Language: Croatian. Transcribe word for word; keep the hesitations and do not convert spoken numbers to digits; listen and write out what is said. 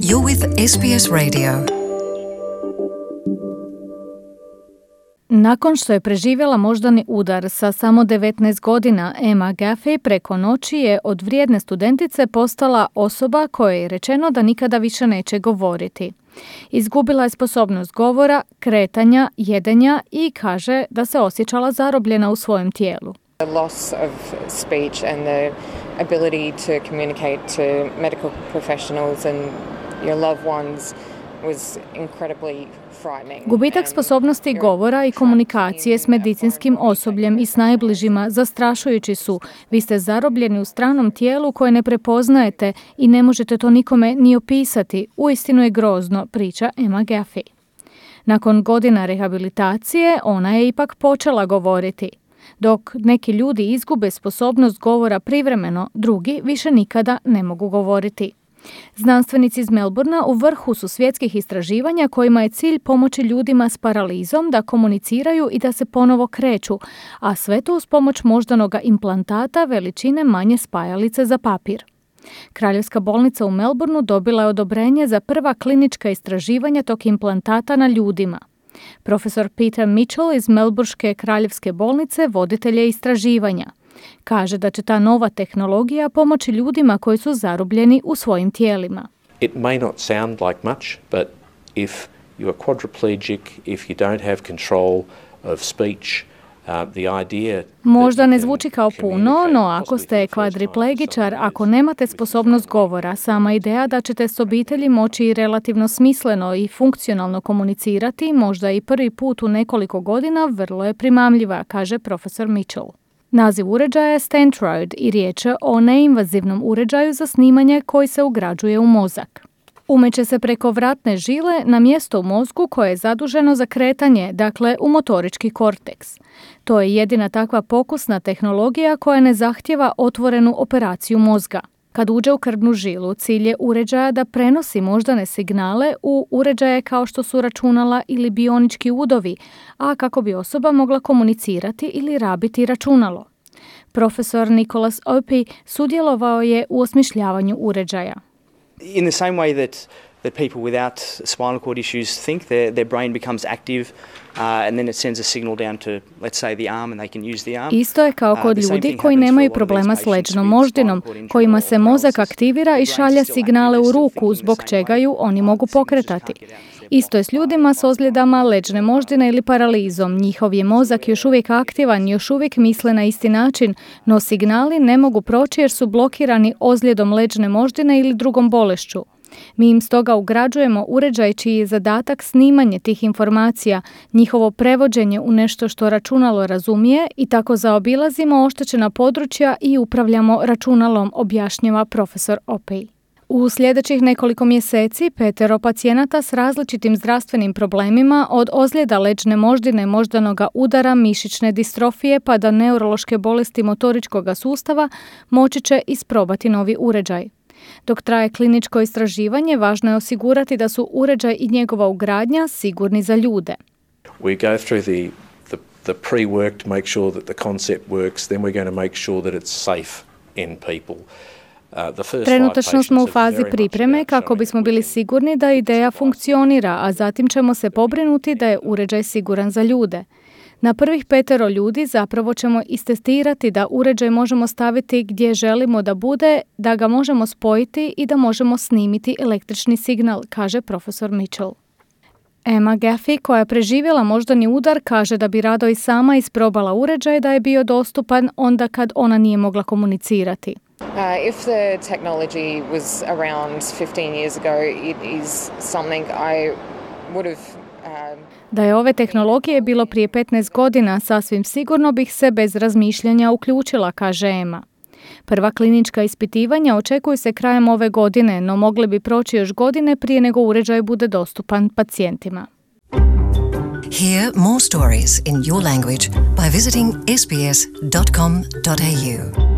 You're with S B S Radio. Nakon što je preživjela moždani udar sa samo devetnaest godina, Emma Gaffey preko noći je od vrijedne studentice postala osoba kojoj je rečeno da nikada više neće govoriti. Izgubila je sposobnost govora, kretanja, jedenja i kaže da se osjećala zarobljena u svojem tijelu. The loss of speech and the ability to communicate to medical professionals and your loved ones was incredibly frightening. Gubitak sposobnosti govora i komunikacije s medicinskim osobljem i s najbližima zastrašujući su. Vi ste zarobljeni u stranom tijelu koje ne prepoznajete i ne možete to nikome ni opisati. Uistinu je grozno, priča Emma Gaffey. Nakon godina rehabilitacije ona je ipak počela govoriti. Dok neki ljudi izgube sposobnost govora privremeno, drugi više nikada ne mogu govoriti. Znanstvenici iz Melbournea u vrhu su svjetskih istraživanja kojima je cilj pomoći ljudima s paralizom da komuniciraju i da se ponovo kreću, a sve to uz pomoć moždanoga implantata veličine manje spajalice za papir. Kraljevska bolnica u Melbourneu dobila je odobrenje za prva klinička istraživanja tog implantata na ljudima. Profesor Peter Mitchell iz Melbourneške kraljevske bolnice voditelj je istraživanja. Kaže da će ta nova tehnologija pomoći ljudima koji su zarobljeni u svojim tijelima. It may not sound like much, but if you are quadriplegic, if you don't have control of speech, uh, the idea... Možda ne zvuči kao puno, no ako ste kvadriplegičar, ako nemate sposobnost govora, sama ideja da ćete s obitelji moći relativno smisleno i funkcionalno komunicirati, možda i prvi put u nekoliko godina, vrlo je primamljiva, kaže profesor Mitchell. Naziv uređaja je Stentrode i riječ je o neinvazivnom uređaju za snimanje koji se ugrađuje u mozak. Umeće se preko vratne žile na mjesto u mozgu koje je zaduženo za kretanje, dakle u motorički korteks. To je jedina takva pokusna tehnologija koja ne zahtijeva otvorenu operaciju mozga. Kad uđe u krvnu žilu, cilj je uređaja da prenosi moždane signale u uređaje kao što su računala ili bionički udovi, a kako bi osoba mogla komunicirati ili rabiti računalo. Profesor Nicholas Opie sudjelovao je u osmišljavanju uređaja. In the same way that that people without spinal cord issues think, their their brain becomes active uh, and then it sends a signal down to, let's say, the arm and they can use the arm. Isto je kao kod ljudi koji nemaju problema s leđnom moždinom, kojima se mozak aktivira i šalje signale u ruku, zbog čega ju oni mogu pokretati. Isto je s ljudima s ozljedama leđne moždine ili paralizom. Njihov je mozak još uvijek aktivan, još uvijek misle na isti način, no signali ne mogu proći jer su blokirani ozljedom leđne moždine ili drugom bolešću. Mi im stoga ugrađujemo uređaj čiji je zadatak snimanje tih informacija, njihovo prevođenje u nešto što računalo razumije i tako zaobilazimo oštećena područja i upravljamo računalom, objašnjava profesor Opie. U sljedećih nekoliko mjeseci petero pacijenata s različitim zdravstvenim problemima od ozljeda leđne moždine, moždanoga udara, mišićne distrofije pa do neurološke bolesti motoričkog sustava moći će isprobati novi uređaj. Dok traje kliničko istraživanje, važno je osigurati da su uređaj i njegova ugradnja sigurni za ljude. We go through the, the, the pre-work to make sure that the concept works, then we're going to make sure that it's safe in people. Trenutačno smo u fazi pripreme kako bismo bili sigurni da ideja funkcionira, a zatim ćemo se pobrinuti da je uređaj siguran za ljude. Na prvih petero ljudi zapravo ćemo istestirati da uređaj možemo staviti gdje želimo da bude, da ga možemo spojiti i da možemo snimiti električni signal, kaže profesor Mitchell. Emma Gaffey, koja je preživjela moždani udar, kaže da bi rado i sama isprobala uređaj da je bio dostupan onda kad ona nije mogla komunicirati. Uh, if the technology was around fifteen years ago, it is something I would have... Um... Da je ove tehnologije bilo prije petnaest godina, sasvim sigurno bih se bez razmišljanja uključila, kaže Emma. Prva klinička ispitivanja očekuju se krajem ove godine, no mogli bi proći još godine prije nego uređaj bude dostupan pacijentima. Hear more stories in your language by visiting s b s dot com dot a u.